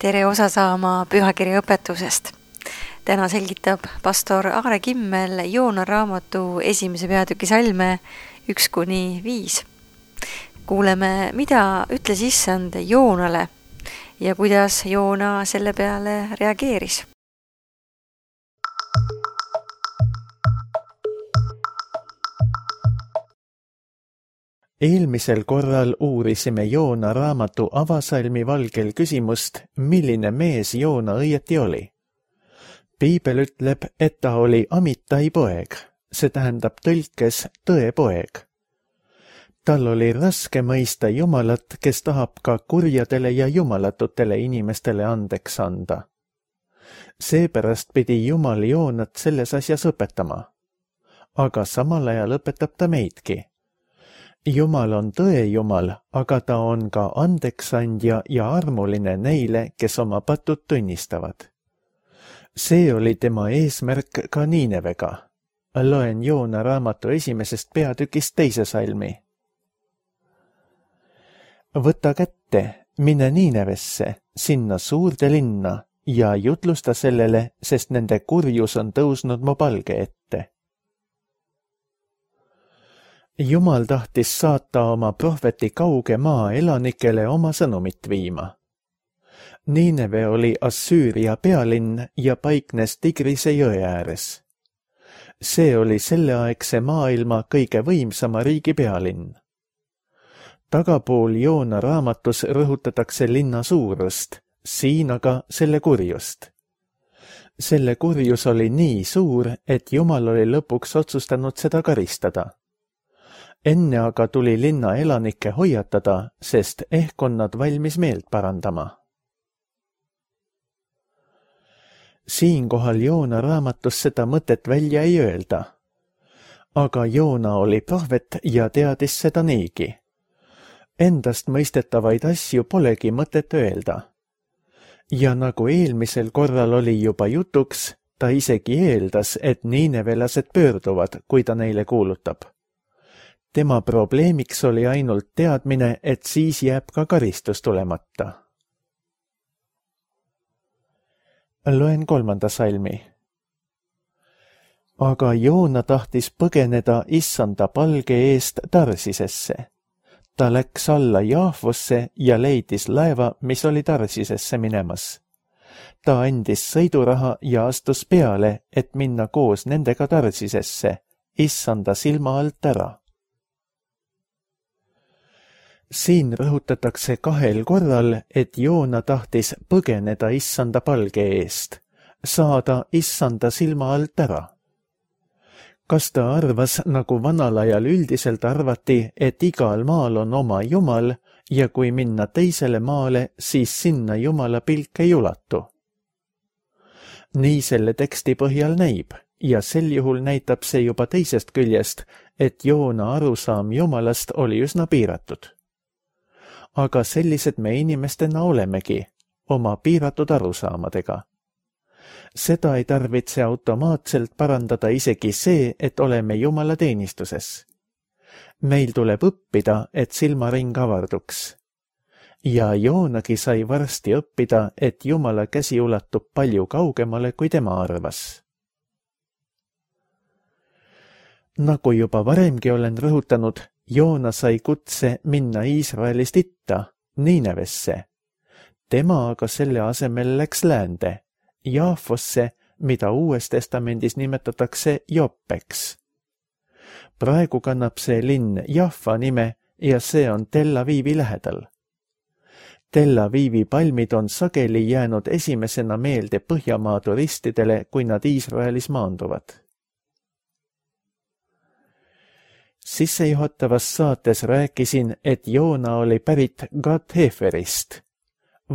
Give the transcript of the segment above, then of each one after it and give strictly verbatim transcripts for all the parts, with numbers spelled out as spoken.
tere osa saama pühakirja õpetusest. Täna selgitab pastor Aare Kimmel Joona raamatu esimese peatüki salme üks kuni viis. Kuuleme, mida ütles issand Joonale ja kuidas Joona selle peale reageeris. Eelmisel korral uurisime Joona raamatu avasalmi valgel küsimust, milline mees Joona õieti oli. Piibel ütleb, et ta oli Amitai poeg, see tähendab tõlkes tõe poeg. Tal oli raske mõista Jumalat, kes tahab ka kurjadele ja jumalatutele inimestele andeks anda. Seepärast pidi Jumal Joonat selles asjas õpetama. Aga samal ajal õpetab ta meidki. Jumal on tõe Jumal, aga ta on ka andeksandja ja armuline neile, kes oma patud tunnistavad. See oli tema eesmärk ka Niinevega. Loen Joona raamatu esimesest peatükist teise salmi. Võta kätte, mine Niinevesse, sinna suurde linna ja jutlusta sellele, sest nende kurjus on tõusnud mu palge ette. Jumal tahtis saata oma prohveti kauge maa elanikele oma sõnumit viima. Niineve oli Assüüria pealinn ja paiknes Tigrise jõe ääres. See oli selleaegse maailma kõige võimsama riigi pealinn. Tagapool Joona raamatus rõhutatakse linna suurust, siin aga selle kurjust. Selle kurjus oli nii suur, et Jumal oli lõpuks otsustanud seda karistada. Enne aga tuli linna elanikke hoiatada, sest ehk on nad valmis meelt parandama. Siinkohal Joona raamatus seda mõtet välja ei öelda. Aga Joona oli prohvet ja teadis seda niigi. Endast mõistetavaid asju polegi mõtet öelda. Ja nagu eelmisel korral oli juba jutuks, ta isegi eeldas, et niinevelased pöörduvad, kui ta neile kuulutab. Tema probleemiks oli ainult teadmine, et siis jääb ka karistus tulemata. Loen kolmanda salmi. Aga Joona tahtis põgeneda issanda palge eest Tarsisesse. Ta läks alla Jaafosse ja leidis laeva, mis oli Tarsisesse minemas. Ta andis sõiduraha ja astus peale, et minna koos nendega Tarsisesse, issanda silma alt ära. Siin rõhutatakse kahel korral, et Joona tahtis põgeneda issanda palge eest, saada issanda silma alt ära. Kas ta arvas, nagu vanal ajal üldiselt arvati, et igal maal on oma Jumal ja kui minna teisele maale, siis sinna Jumala pilk ei ulatu? Nii selle teksti põhjal näib ja sel juhul näitab see juba teisest küljest, et Joona arusaam Jumalast oli üsna piiratud. Aga sellised me inimestena olemegi, oma piiratud arusaamadega. Seda ei tarvitse automaatselt parandada isegi see, et oleme Jumala teenistuses. Meil tuleb õppida, et silmaring avarduks. Ja Joonagi sai varsti õppida, et Jumala käsi ulatub palju kaugemale, kui tema arvas. Nagu juba varemgi olen rõhutanud, Joona sai kutse minna Iisraelist itta, Niinevesse. Tema aga selle asemel läks läände, Jaafosse, mida Uues Testamendis nimetatakse Joppeks. Praegu kannab see linn Jaffa nime ja see on Tel Avivi lähedal. Tel Avivi palmid on sageli jäänud esimesena meelde Põhjamaa turistidele, kui nad Iisraelis maanduvad. Sissejuhatavas saates rääkisin, et Joona oli pärit Gat-Heferist.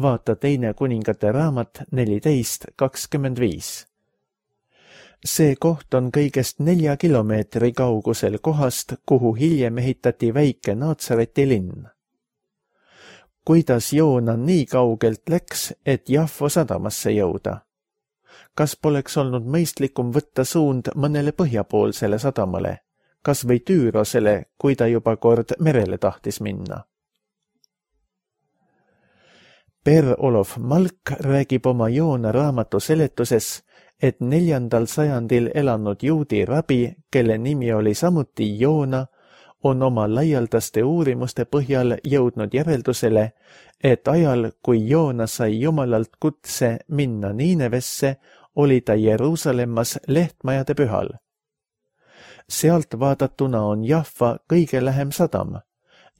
Vaata teine kuningate raamat neliteist kakskümmend viis. See koht on kõigest nelja kilomeetri kaugusel kohast, kuhu hiljem ehitati väike Naatsareti linn. Kuidas Joona nii kaugelt läks, et Jaffo sadamasse jõuda? Kas poleks olnud mõistlikum võtta suund mõnele põhjapoolsele sadamale? Kas või Tüürosele, kui ta juba kord merele tahtis minna? Per-Olof Malk räägib oma Joona raamatu seletuses, et neljandal sajandil elanud juudi rabi, kelle nimi oli samuti Joona, on oma laialdaste uurimuste põhjal jõudnud järeldusele, et ajal, kui Joona sai Jumalalt kutse minna Niinevesse, oli ta Jeruusalemmas lehtmajade pühal. Sealt vaadatuna on Jaffa kõige lähem sadam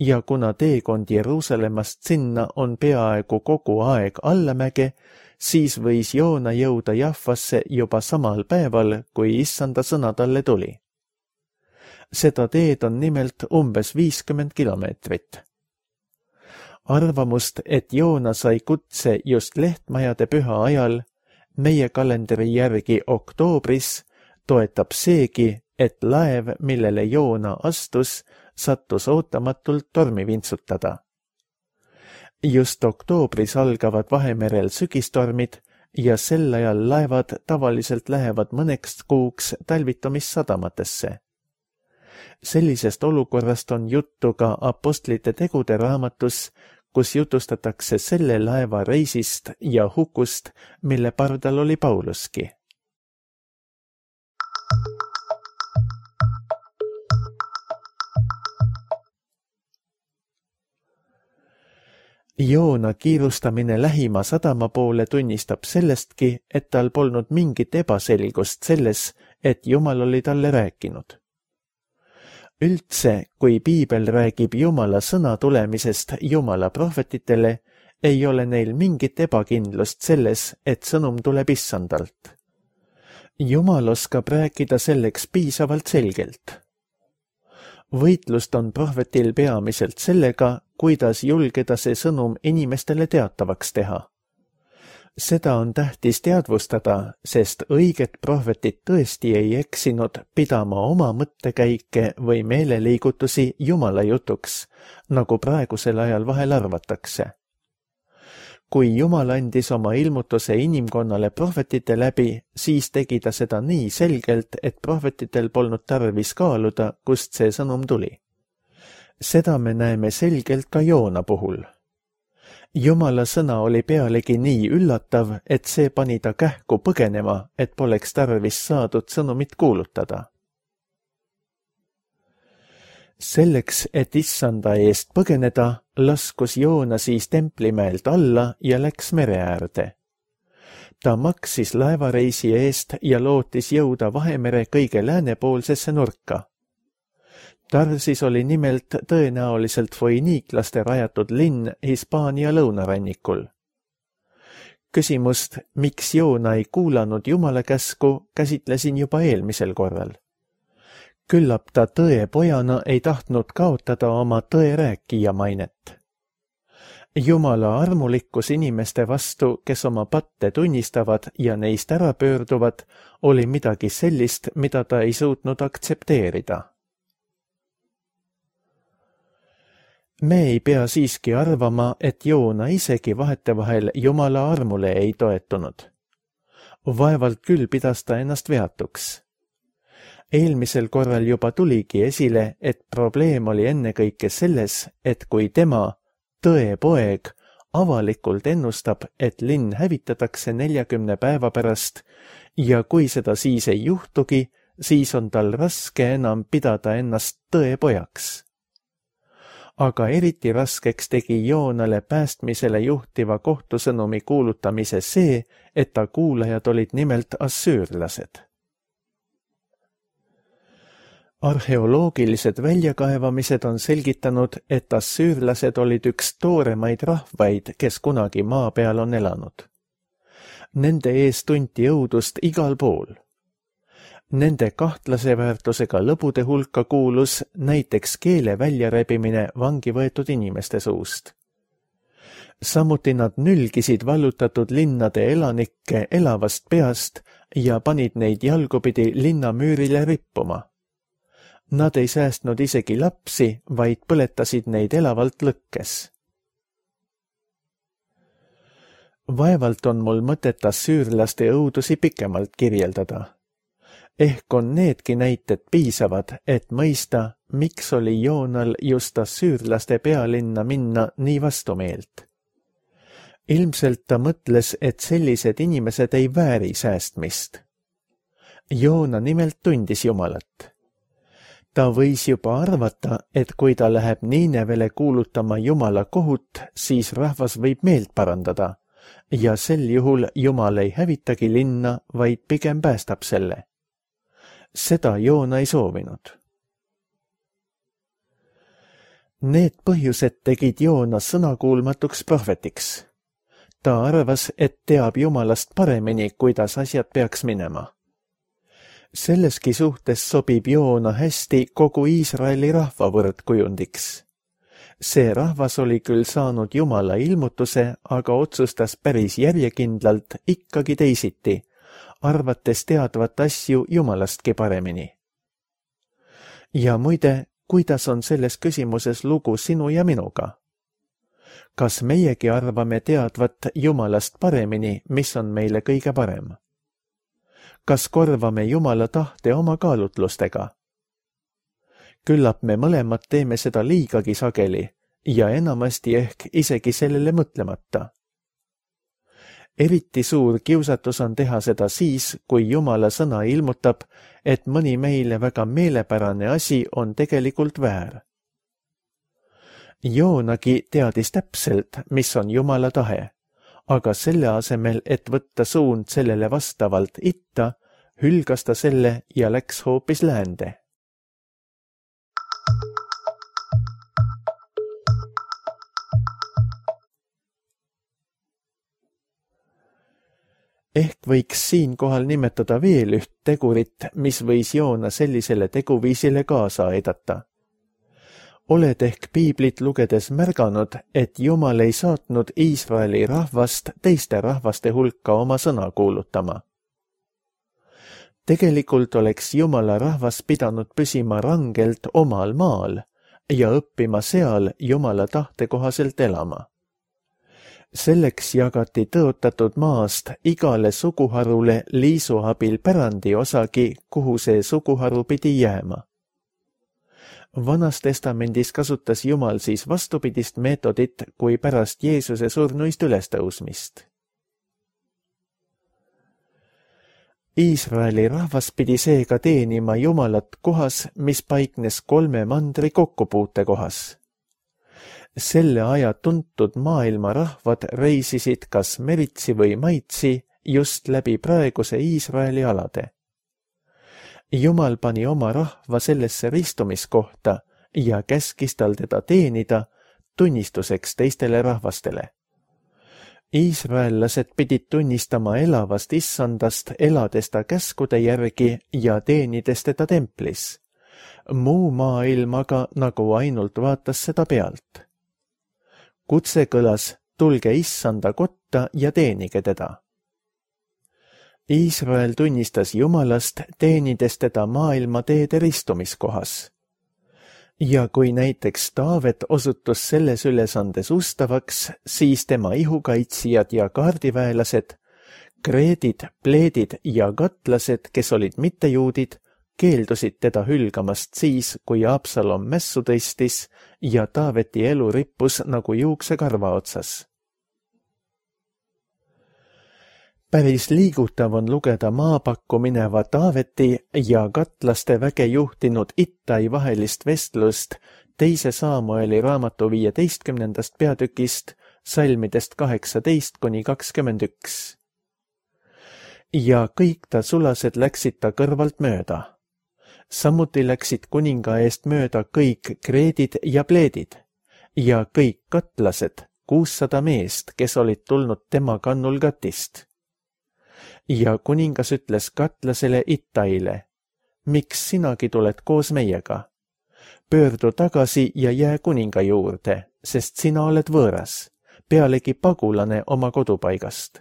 ja kuna teekond Jeruusalemmast sinna on peaaegu kogu aeg allamäge, siis võis Joona jõuda Jaffasse juba samal päeval, kui issanda sõna talle tuli. Seda teed on nimelt umbes viiskümmend kilomeetrit. Arvamust, et Joona sai kutse just lehtmajade püha ajal, meie kalendri järgi oktoobris, toetab seegi, et laev, millele Joona astus, sattus ootamatult tormi vintsutada. Just oktoobris algavad Vahemerel sügistormid ja sel ajal laevad tavaliselt lähevad mõneks kuuks talvitumisadamatesse. Sellisest olukorrast on juttu ka Apostlite tegude raamatus, kus jutustatakse selle laeva reisist ja hukust, mille pardal oli Pauluski. Joona kiirustamine lähima sadama poole tunnistab sellestki, et tal polnud mingit ebaselgust selles, et Jumal oli talle rääkinud. Üldse, kui piibel räägib Jumala sõna tulemisest Jumala prohvetitele, ei ole neil mingit ebakindlust selles, et sõnum tuleb issandalt. Jumal oskab rääkida selleks piisavalt selgelt. Võitlust on prohvetil peamiselt sellega, kuidas julgeda see sõnum inimestele teatavaks teha. Seda on tähtis teadvustada, sest õiget prohvetit tõesti ei eksinud pidama oma mõttekäike või meeleliigutusi Jumala jutuks, nagu praegusel ajal vahel arvatakse. Kui Jumal andis oma ilmutuse inimkonnale prohvetite läbi, siis tegi ta seda nii selgelt, et prohvetitel polnud tarvis kaaluda, kust see sõnum tuli. Seda me näeme selgelt ka Joona puhul. Jumala sõna oli pealegi nii üllatav, et see pani ta kähku põgenema, et poleks tarvis saadud sõnumit kuulutada. Selleks, et issanda eest põgeneda, laskus Joona siis templimäelt alla ja läks mere äärde. Ta maksis laevareisi eest ja lootis jõuda Vahemere kõige läänepoolsesse nurka. Tarsis oli nimelt tõenäoliselt foiniiklaste rajatud linn Hispaania lõunarannikul. Küsimust, miks Joona ei kuulanud Jumala käsku, käsitlesin juba eelmisel korral. Küllap ta tõe pojana ei tahtnud kaotada oma tõe rääkija mainet. Jumala armulikkus inimeste vastu, kes oma patte tunnistavad ja neist ära pöörduvad, oli midagi sellist, mida ta ei suutnud aktsepteerida. Me ei pea siiski arvama, et Joona isegi vahetevahel Jumala armule ei toetunud. Vaevalt küll pidas ta ennast veatuks. Eelmisel korral juba tuligi esile, et probleem oli ennekõike selles, et kui tema, tõe poeg, avalikult ennustab, et linn hävitatakse neljakümne päeva pärast ja kui seda siis ei juhtugi, siis on tal raske enam pidada ennast tõe pojaks. Aga eriti raskeks tegi Joonale päästmisele juhtiva kohtusõnumi kuulutamise see, et ta kuulajad olid nimelt assüürlased. Arheoloogilised väljakaevamised on selgitanud, et assüürlased olid üks tooremaid rahvaid, kes kunagi maa peal on elanud. Nende ees tunti õudust igal pool. Nende kahtlase väärtusega lõbude hulka kuulus näiteks keele väljarebimine vangi võetud inimeste suust. Samuti nad nülgisid vallutatud linnade elanikke elavast peast ja panid neid jalgupidi linnamüürile rippuma. Nad ei säästnud isegi lapsi, vaid põletasid neid elavalt lõkkes. Vaevalt on mul mõtet assüürlaste õudusi pikemalt kirjeldada. Ehk on needki näited piisavad, et mõista, miks oli Joonal just assüürlaste pealinna minna nii vastumeelt. Ilmselt ta mõtles, et sellised inimesed ei vääri säästmist. Joona nimelt tundis Jumalat. Ta võis juba arvata, et kui ta läheb Niinevele kuulutama Jumala kohut, siis rahvas võib meelt parandada ja sel juhul Jumal ei hävitagi linna, vaid pigem päästab selle. Seda Joona ei soovinud. Need põhjused tegid Joona sõnakuulmatuks prohvetiks. Ta arvas, et teab Jumalast paremini, kuidas asjad peaks minema. Selleski suhtes sobib Joona hästi kogu Iisraeli rahva võrdkujundiks. See rahvas oli küll saanud Jumala ilmutuse, aga otsustas päris järjekindlalt ikkagi teisiti, arvates teadvat asju Jumalastki paremini. Ja muide, kuidas on selles küsimuses lugu sinu ja minuga? Kas meiegi arvame teadvat Jumalast paremini, mis on meile kõige parem? Kas korvame Jumala tahte oma kaalutlustega? Küllap me mõlemad teeme seda liigagi sageli ja enamasti ehk isegi sellele mõtlemata. Eriti suur kiusatus on teha seda siis, kui Jumala sõna ilmutab, et mõni meile väga meelepärane asi on tegelikult väär. Joonagi teadis täpselt, mis on Jumala tahe, aga selle asemel, et võtta suund sellele vastavalt itta, hülgas ta selle ja läks hoopis läände. Ehk võiks siinkohal nimetada veel üht tegurit, mis võis Joona sellisele teguviisile kaasa aidata. Oled ehk piiblit lugedes märganud, et Jumal ei saatnud Iisraeli rahvast teiste rahvaste hulka oma sõna kuulutama. Tegelikult oleks Jumala rahvas pidanud püsima rangelt omal maal ja õppima seal Jumala tahte kohaselt elama. Selleks jagati tõotatud maast igale suguharule liisu abil pärandi osagi, kuhu see suguharu pidi jääma. Vanas testamendis kasutas Jumal siis vastupidist meetodit kui pärast Jeesuse surnuist ülestõusmist. Iisraeli rahvas pidi seega teenima Jumalat kohas, mis paiknes kolme mandri kokkupuute kohas. Selle aja tuntud maailma rahvad reisisid kas meritsi või maitsi just läbi praeguse Iisraeli alade. Jumal pani oma rahva sellesse ristumiskohta ja käskis tal teda teenida tunnistuseks teistele rahvastele. Iisraellased pidid tunnistama elavast issandast, elades ta käskude järgi ja teenides teda templis. Muu maailm aga nagu ainult vaatas seda pealt. Kutse kõlas, tulge issanda kotta ja teenige teda. Iisrael tunnistas Jumalast, teenides teda maailma teede ristumiskohas. Ja kui näiteks Taavet osutus selles ülesandes ustavaks, siis tema ihukaitsijad ja kaardiväelased, kreedid, pleedid ja katlased, kes olid mittejuudid, keeldusid teda hülgamast siis, kui Absalom mässu tõstis ja Taaveti elu rippus nagu juuksekarva otsas. Päris liigutav on lugeda maapakku mineva Taaveti ja katlaste väge juhtinud Ittai vahelist vestlust teise Saamueli raamatu viieteistkümnendast peatükist, salmidest kaheksateist kuni kakskümmend üks. Ja kõik ta sulased läksid ta kõrvalt mööda. Samuti läksid kuninga eest mööda kõik kreedid ja pleedid ja kõik katlased, kuussada meest, kes olid tulnud tema kannul Gatist. Ja kuningas ütles katlasele Ittaile, miks sinagi tuled koos meiega? Pöördu tagasi ja jää kuninga juurde, sest sina oled võõras, pealegi pagulane oma kodupaigast.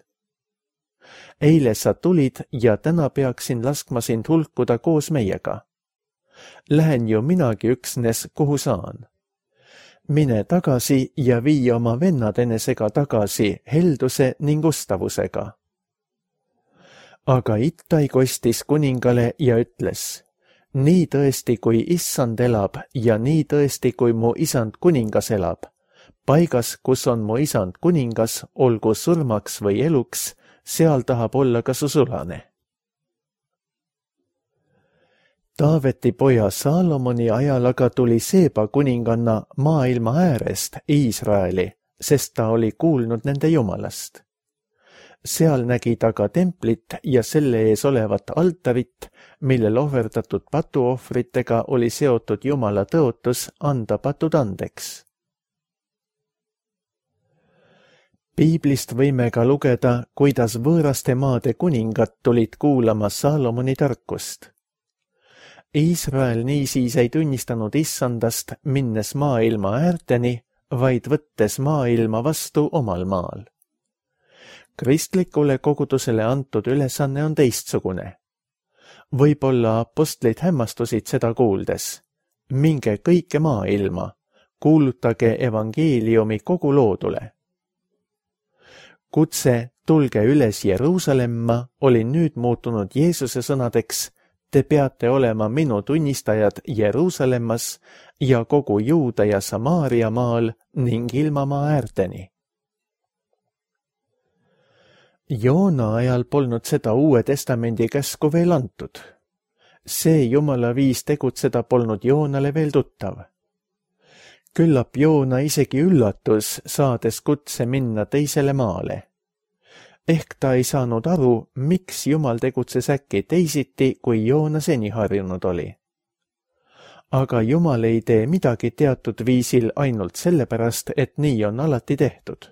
Eile sa tulid ja täna peaksin laskma sind hulkuda koos meiega. Lähen ju minagi üksnes, kuhu saan. Mine tagasi ja vii oma vennad enesega tagasi helduse ning ustavusega. Aga Ittai kostis kuningale ja ütles, nii tõesti, kui issand elab ja nii tõesti, kui mu isand kuningas elab, paigas, kus on mu isand kuningas, olgu surmaks või eluks, seal tahab olla ka su sulane. Taaveti poja Saalomoni ajal aga tuli Seeba kuninganna maailma äärest Iisraeli, sest ta oli kuulnud nende jumalast. Seal nägi ta ka templit ja selle ees olevat altarit, millel ohverdatud patuohvritega oli seotud Jumala tõotus anda patud andeks. Piiblist võime ka lugeda, kuidas võõraste maade kuningad tulid kuulama Saalomoni tarkust. Iisrael niisiis ei tunnistanud issandast, minnes maailma äärteni, vaid võttes maailma vastu omal maal. Kristlikule kogudusele antud ülesanne on teistsugune. Võib-olla apostlid hämmastusid seda kuuldes. Minge kõike maailma, kuulutage evangeeliumi kogu loodule. Kutse tulge üles Jeruusalemma oli nüüd muutunud Jeesuse sõnadeks: te peate olema minu tunnistajad Jeruusalemmas ja kogu Juuda ja Samaaria maal ning ilmamaa äärteni. Joona ajal polnud seda Uue Testamendi käsku veel antud. See Jumala viis tegutseda polnud Joonale veel tuttav. Küllap Joona isegi üllatus, saades kutse minna teisele maale. Ehk ta ei saanud aru, miks Jumal tegutses äkki teisiti, kui Joona seni harjunud oli. Aga Jumal ei tee midagi teatud viisil ainult sellepärast, et nii on alati tehtud.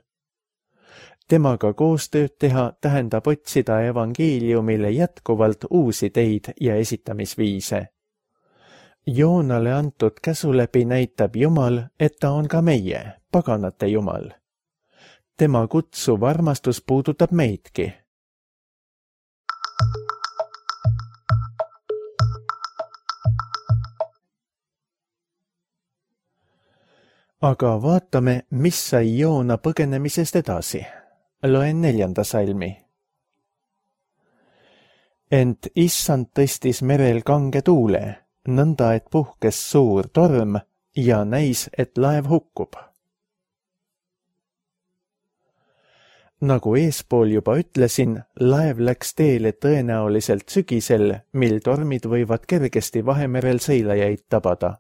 Temaga koostööd teha tähendab otsida evangeeliumile jätkuvalt uusi teid ja esitamisviise. Joonale antud käsu läbi näitab Jumal, et ta on ka meie, paganate Jumal. Tema kutsuv armastus puudutab meidki. Aga vaatame, mis sai Joona põgenemisest edasi. Loen neljanda salmi. Ent issand tõstis merel kange tuule, nõnda et puhkes suur torm ja näis, et laev hukkub. Nagu eespool juba ütlesin, laev läks teele tõenäoliselt sügisel, mil tormid võivad kergesti Vahemerel sõilajaid tabada.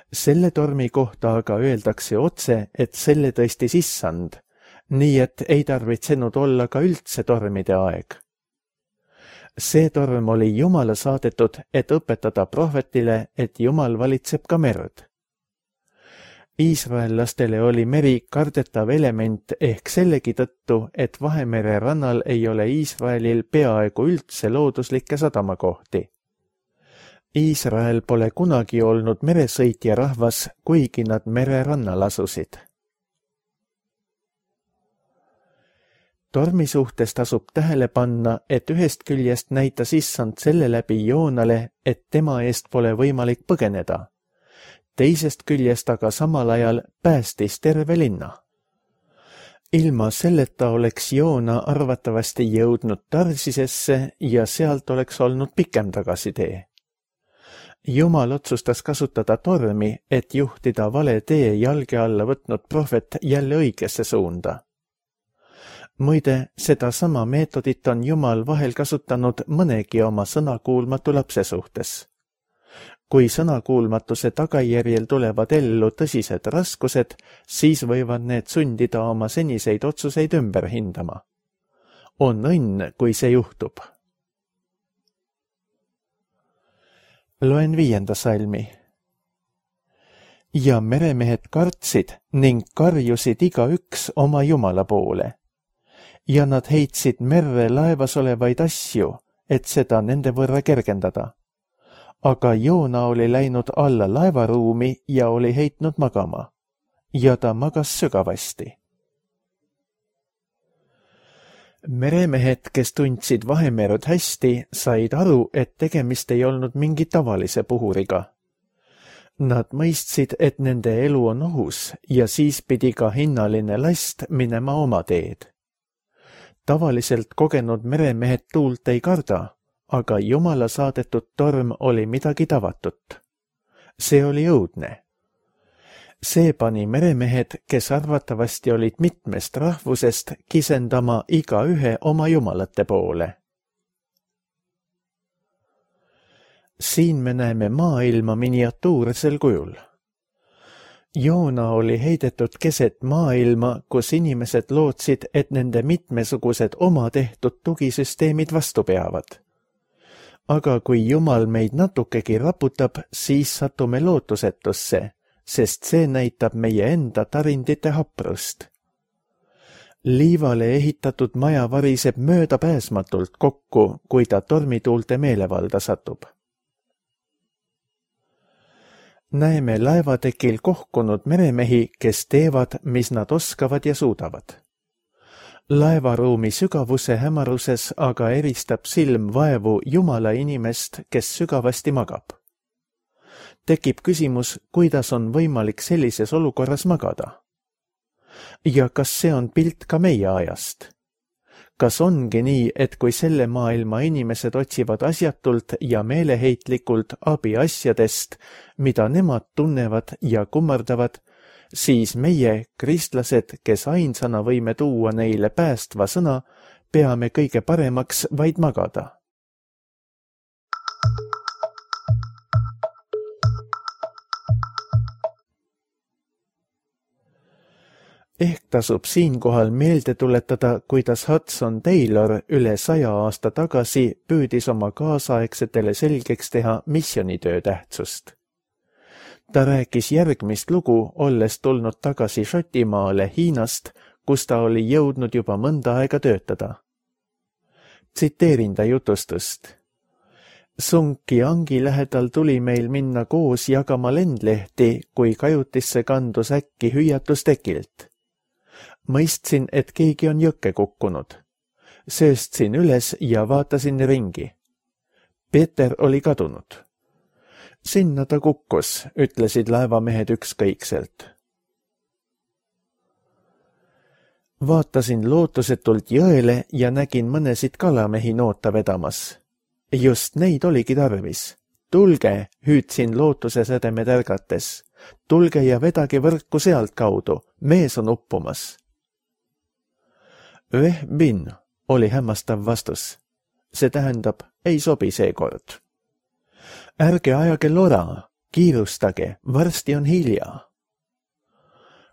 Selle tormi kohta aga öeldakse otse, et selle tõstis issand, nii et ei tarvitsenud olla ka üldse tormide aeg. See torm oli Jumala saadetud, et õpetada prohvetile, et Jumal valitseb ka merd. Iisraellastele oli meri kardetav element ehk sellegi tõttu, et Vahemere rannal ei ole Iisraelil peaaegu üldse looduslikke sadamakohti. Iisrael pole kunagi olnud meresõitja rahvas, kuigi nad mererannal asusid. Tormi suhtes tasub tähele panna, et ühest küljest näitas issand selle läbi Joonale, et tema eest pole võimalik põgeneda. Teisest küljest aga samal ajal päästis terve linna. Ilma selleta oleks Joona arvatavasti jõudnud Tarsisesse ja sealt oleks olnud pikem tagasitee. Jumal otsustas kasutada tormi, et juhtida vale tee jalge alla võtnud prohvet jälle õigesse suunda. Muide, seda sama meetodit on Jumal vahel kasutanud mõnegi oma sõnakuulmatu lapse suhtes. Kui sõnakuulmatuse tagajärjel tulevad ellu tõsised raskused, siis võivad need sundida oma seniseid otsuseid ümber hindama. On õnn, kui see juhtub. Loen viienda salmi. Ja meremehed kartsid ning karjusid igaüks oma Jumala poole. Ja nad heitsid merre laevas olevaid asju, et seda nende võrra kergendada. Aga Joona oli läinud alla laevaruumi ja oli heitnud magama. Ja ta magas sügavasti. Meremehed, kes tundsid Vahemerd hästi, said aru, et tegemist ei olnud mingi tavalise puhuriga. Nad mõistsid, et nende elu on ohus ja siis pidi ka hinnaline last minema oma teed. Tavaliselt kogenud meremehed tuult ei karda, aga Jumala saadetud torm oli midagi tavatut. See oli õudne. See pani meremehed, kes arvatavasti olid mitmest rahvusest, kisendama igaühe oma jumalate poole. Siin me näeme maailma miniatuursel kujul. Joona oli heidetud keset maailma, kus inimesed lootsid, et nende mitmesugused oma tehtud tugisüsteemid vastu peavad. Aga kui Jumal meid natukegi raputab, siis satume lootusetusse, sest see näitab meie enda tarindite haprust. Liivale ehitatud maja variseb möödapääsmatult kokku, kui ta tormituulte meelevalda satub. Näeme laevatekil kohkunud meremehi, kes teevad, mis nad oskavad ja suudavad. Laevaruumi sügavuse hämaruses aga eristab silm vaevu Jumala inimest, kes sügavasti magab. Tekib küsimus, kuidas on võimalik sellises olukorras magada. Ja kas see on pilt ka meie ajast? Kas ongi nii, et kui selle maailma inimesed otsivad asjatult ja meeleheitlikult abi asjadest, mida nemad tunnevad ja kummardavad, siis meie, kristlased, kes ainsana võime tuua neile päästva sõna, peame kõige paremaks vaid magada. Ehk tasub siinkohal meelde tuletada, kuidas Hudson Taylor üle saja aasta tagasi püüdis oma kaasaegsetele selgeks teha missionitöö tähtsust. Ta rääkis järgmist lugu, olles tulnud tagasi Šotimaale Hiinast, kus ta oli jõudnud juba mõnda aega töötada. Tsiteerin ta jutustust. Sungkiangi lähedal tuli meil minna koos jagama lendlehti, kui kajutisse kandus äkki hüüatus tekilt. Mõistsin, et keegi on jõkke kukkunud. Sööstsin üles ja vaatasin ringi. Peeter oli kadunud. Sinna ta kukkus, ütlesid laevamehed ükskõikselt. Vaatasin lootusetult jõele ja nägin mõnesid kalamehi noota vedamas. Just neid oligi tarvis. Tulge, hüüdsin lootuse sädemed ärgates. Tulge ja vedage võrku sealt kaudu, mees on uppumas. Veh bin, oli hämmastav vastus. See tähendab, ei sobi seekord. Ärge ajage lora, kiirustage, varsti on hilja.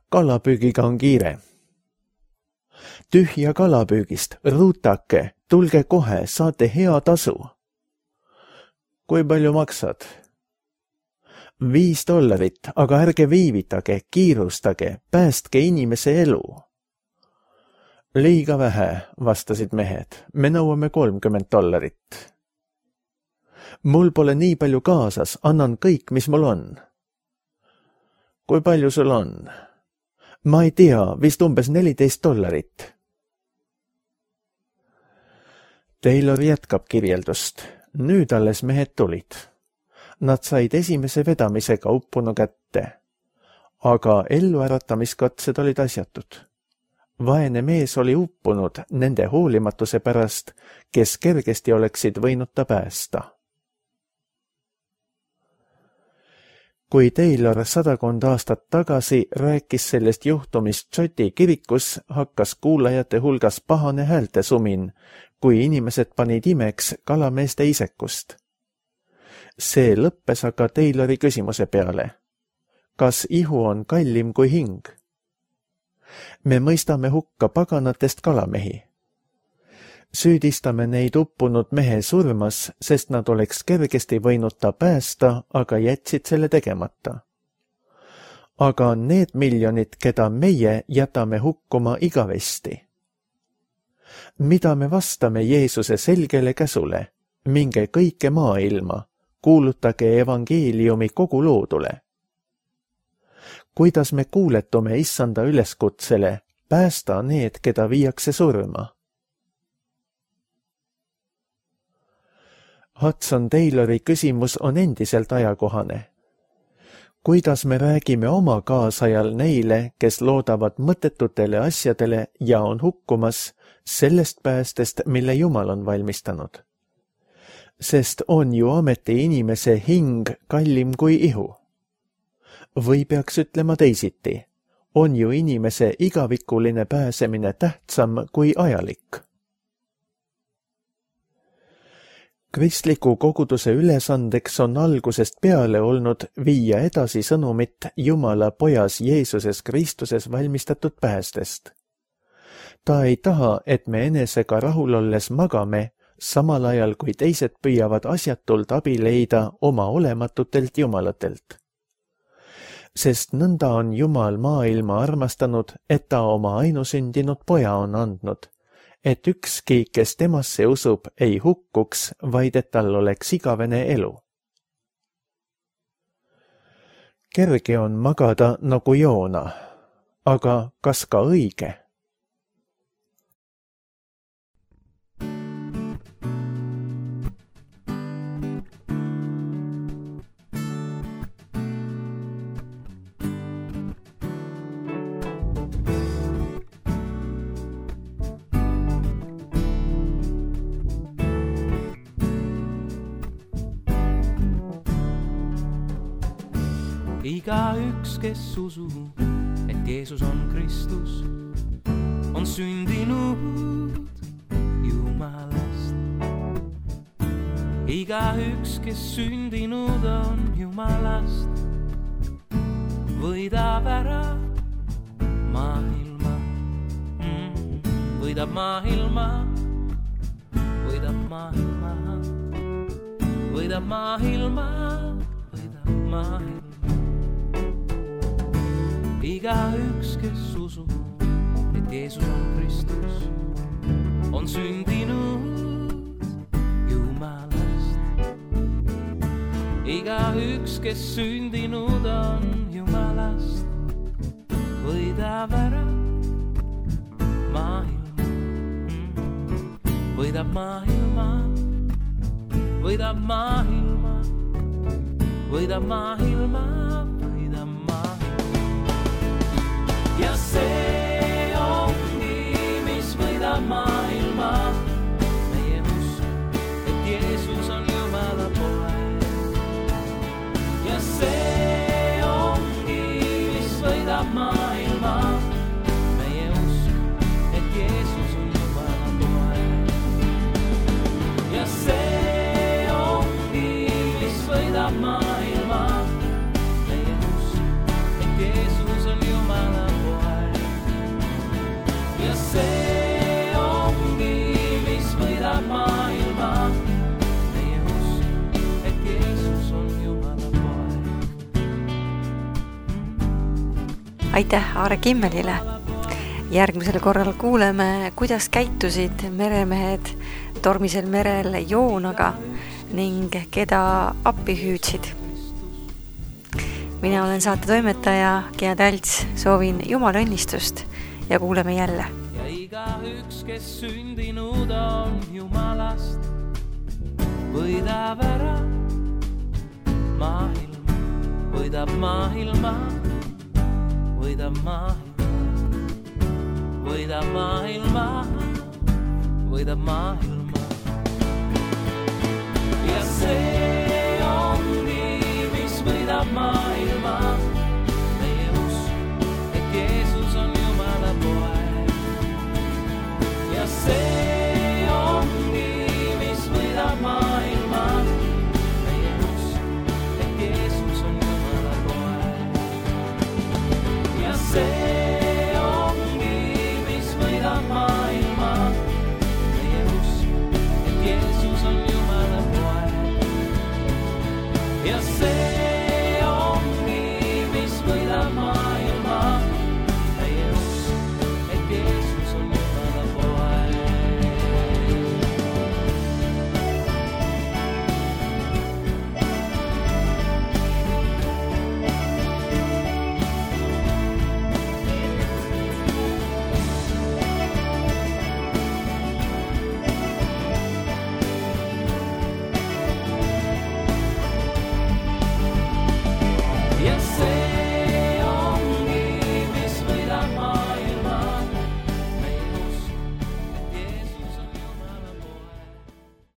Kalapüügiga on kiire. Tühja kalapüügist, ruutake, tulge kohe, saate hea tasu. Kui palju maksad? Viis dollarit, aga ärge viivitage, kiirustage, päästke inimese elu. Liiga vähe, vastasid mehed, me nõuame kolmkümmend dollarit. Mul pole nii palju kaasas, annan kõik, mis mul on. Kui palju sul on? Ma ei tea, vist umbes neliteist dollarit. Taylor jätkab kirjeldust. Nüüd alles mehed tulid. Nad said esimese vedamisega uppunu kätte. Aga elluäratamiskatsed olid asjatud. Vaene mees oli uppunud nende hoolimatuse pärast, kes kergesti oleksid võinud ta päästa. Kui Taylor sadakond aastat tagasi rääkis sellest juhtumist Šoti kirikus, hakkas kuulajate hulgas pahane häälte sumin, kui inimesed panid imeks kalameeste isekust. See lõppes aga Taylori küsimuse peale. Kas ihu on kallim kui hing? Me mõistame hukka paganatest kalamehi. Süüdistame neid uppunud mehe surmas, sest nad oleks kergesti võinud ta päästa, aga jätsid selle tegemata. Aga need miljonid, keda meie jätame hukkuma igavesti. Mida me vastame Jeesuse selgele käsule? Minge kõike maailma, kuulutage evangeeliumi kogu loodule. Kuidas me kuuletume issanda üleskutsele, päästa need, keda viiakse surma? Hudson Taylori küsimus on endiselt ajakohane. Kuidas me räägime oma kaasajal neile, kes loodavad mõttetutele asjadele ja on hukkumas sellest päästest, mille Jumal on valmistanud? Sest on ju ameti inimese hing kallim kui ihu. Või peaks ütlema teisiti, on ju inimese igavikuline pääsemine tähtsam kui ajalik. Kristliku koguduse ülesandeks on algusest peale olnud viia edasi sõnumit Jumala pojas Jeesuses Kristuses valmistatud päästest. Ta ei taha, et me enesega rahul olles magame, samal ajal kui teised püüavad asjatult abi leida oma olematutelt jumalatelt. Sest nõnda on Jumal maailma armastanud, et ta oma ainusündinud poja on andnud, et ükski, kes temasse usub, ei hukkuks, vaid et tal oleks igavene elu. Kerge on magada nagu Joona, aga kas ka õige? Iga üks, kes usub, et Jeesus on Kristus, on sündinud Jumalast. Iga üks, kes sündinud on Jumalast, võidab ära maailma, mm, võidab maailma, võidab maailma, võidab maailma, võidab maailma. Iga üks, kes usub, et Jeesus on Kristus, on sündinud Jumalast. Iga üks, kes sündinud on Jumalast, võidab ära maailma, võidab maailma, võidab maailma, võidab maailma, võidab maailma. Ja see ongi, mis võidab maailma, meie usk, et Jeesus on Jumala poeg. Ja see ongi, mis võidab maailma, meie usk, et Jeesus on Jumala poeg. Ja see ongi, mis võidab maailma, meie usk, et Jeesus on Jumala poeg. Ja see ongi, mis võidab maailma, meie usk, et Jeesus on Jumala poeg. Aitäh Aare Kimmelile! Järgmisel korral kuuleme, kuidas käitusid meremehed tormisel merel Joonaga ning keda appi hüüdsid. Mina olen saate toimetaja Gea Talts, soovin Jumala õnnistust ja kuuleme jälle. Ja iga üks, kes sündinud on Jumalast, võidab ära maailma, võidab maailma, võidab maailma, võidab maailma, võidab maailma.